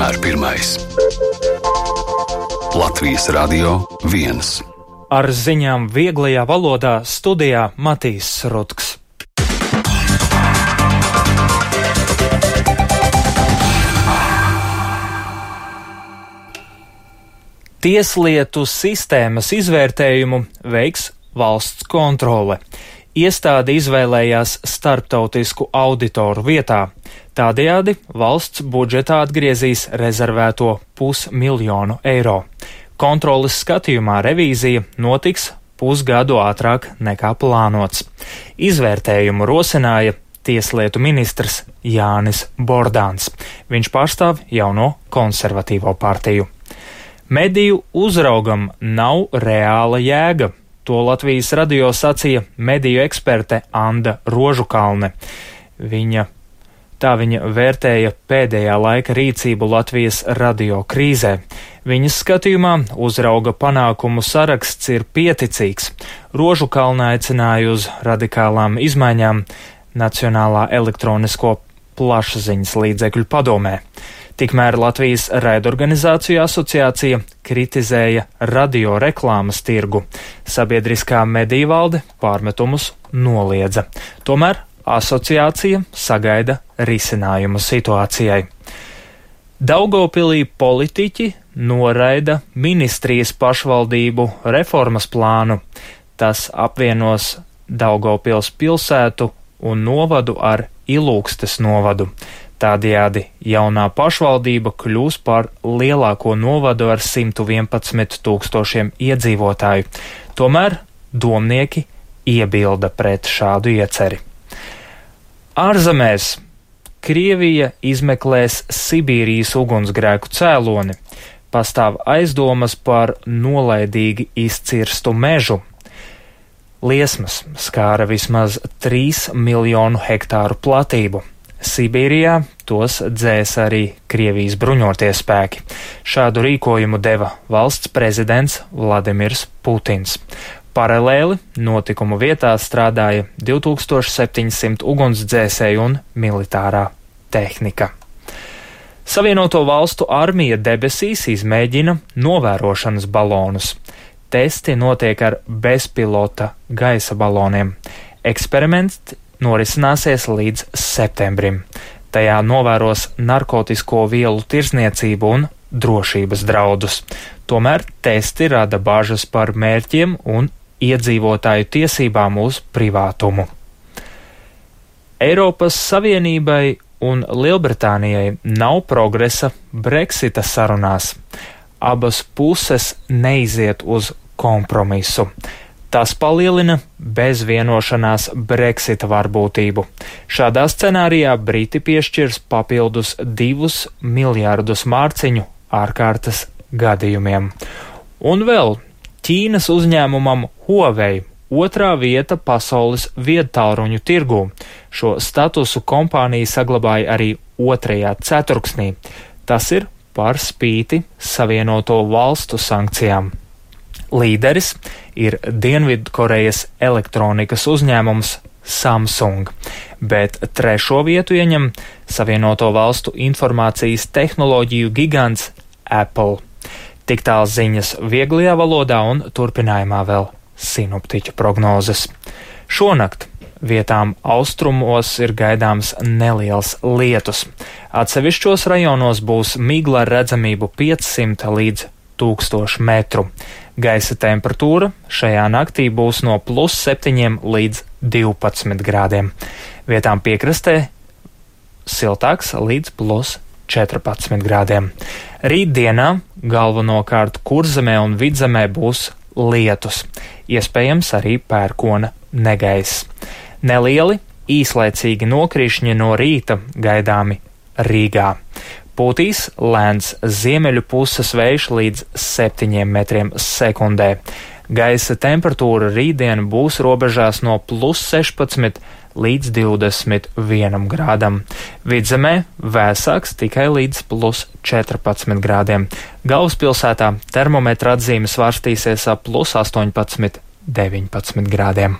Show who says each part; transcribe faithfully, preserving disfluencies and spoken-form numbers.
Speaker 1: vienmēr pirmais. Latvijas Radio viens.
Speaker 2: Ar ziņām vieglajā valodā studijā Matīs Rutks. Tieslietu sistēmas izvērtējumu veiks valsts kontrole. Iestāde izvēlējās starptautisku auditoru vietā. Tādējādi valsts budžetā atgriezīs rezervēto pusmiljonu eiro. Kontroles skatījumā revīzija notiks pusgadu ātrāk nekā plānots. Izvērtējumu rosināja tieslietu ministrs Jānis Bordāns. Viņš pārstāv jauno konservatīvo partiju. Mediju uzraugam nav reāla jēga. To Latvijas radio sacīja mediju eksperte Anda Rožukalne. Viņa, tā viņa vērtēja pēdējā laika rīcību Latvijas radio krīzē. Viņas skatījumā uzrauga panākumu saraksts ir pieticīgs. Rožukalne aicināja uz radikālām izmaiņām Nacionālā elektronisko plašsaziņas līdzekļu padomē. Tikmēr Latvijas raidorganizāciju asociācija kritizēja radioreklāmas tirgu. Sabiedriskā mediju valde pārmetumus noliedza. Tomēr asociācija sagaida risinājumu situācijai. Daugavpilī politiķi noraida ministrijas pašvaldību reformas plānu. Tas apvienos Daugavpils pilsētu un novadu ar Ilūgstes novadu. Tādējādi jaunā pašvaldība kļūs par lielāko novadu ar simt vienpadsmit tūkstošiem iedzīvotāju. Tomēr domnieki iebilda pret šādu ieceri. Ārzemēs Krievija izmeklēs Sibīrijas ugunsgrēku cēloni. Pastāv aizdomas par nolaidīgi izcirstu mežu. Liesmas skāra vismaz trīs miljonu hektāru platību. Sibīrijā tos dzēs arī Krievijas bruņotie spēki. Šādu rīkojumu deva valsts prezidents Vladimirs Putins. Paralēli notikumu vietā strādāja divi tūkstoši septiņsimt ugunsdzēsēju un militārā tehnika. Savienoto valstu armija debesīs izmēģina novērošanas balonus. Testi notiek ar bezpilota gaisa baloniem. Eksperiments norisināsies līdz septembrim. Tajā novēros narkotisko vielu tirzniecību un drošības draudus. Tomēr testi rada bažas par mērķiem un iedzīvotāju tiesībām uz privātumu. Eiropas Savienībai un Lielbritānijai nav progresa Brexita sarunās. Abas puses neiziet uz kompromisu. Tas palielina bez vienošanās Brexita varbūtību. Šādā scenārijā Briti piešķirs papildus divus miljārdus mārciņu ārkārtas gadījumiem. Un vēl Ķīnas uzņēmumam Huawei otrā vieta pasaules viedtālruņu tirgū. Šo statusu kompānija saglabāja arī otrajā ceturksnī. Tas ir par spīti Savienoto valstu sankcijām. Līderis ir Dienvidkorejas elektronikas uzņēmums Samsung, bet trešo vietu ieņem Savienoto valstu informācijas tehnoloģiju gigants Apple. Tik tāl ziņas vieglajā valodā un turpinājumā vēl sinoptiķu prognozes. Šonakt vietām austrumos ir gaidāms neliels lietus. Atsevišķos rajonos būs migla ar redzamību piecsimt līdz tūkstošu metru. Gaisa temperatūra šajā naktī būs no plus septiņiem līdz divpadsmit grādiem. Vietām piekrastē siltāks līdz plus četrpadsmit grādiem. Rītdienā galvenokārt Kurzemē un Vidzemē būs lietus, iespējams arī pērkona negaiss. Nelieli, īslaicīgi nokrišņi no rīta gaidāmi Rīgā. Pūtīs lēns ziemeļu puses vējš līdz septiņiem metriem sekundē. Gaisa temperatūra rītdien būs robežās no plus sešpadsmit līdz divdesmit vienam grādam. Vidzemē vēsāks tikai līdz plus četrpadsmit grādiem. Galvaspilsētā termometra atzīme svārstīsies ap plus astoņpadsmit, deviņpadsmit grādiem.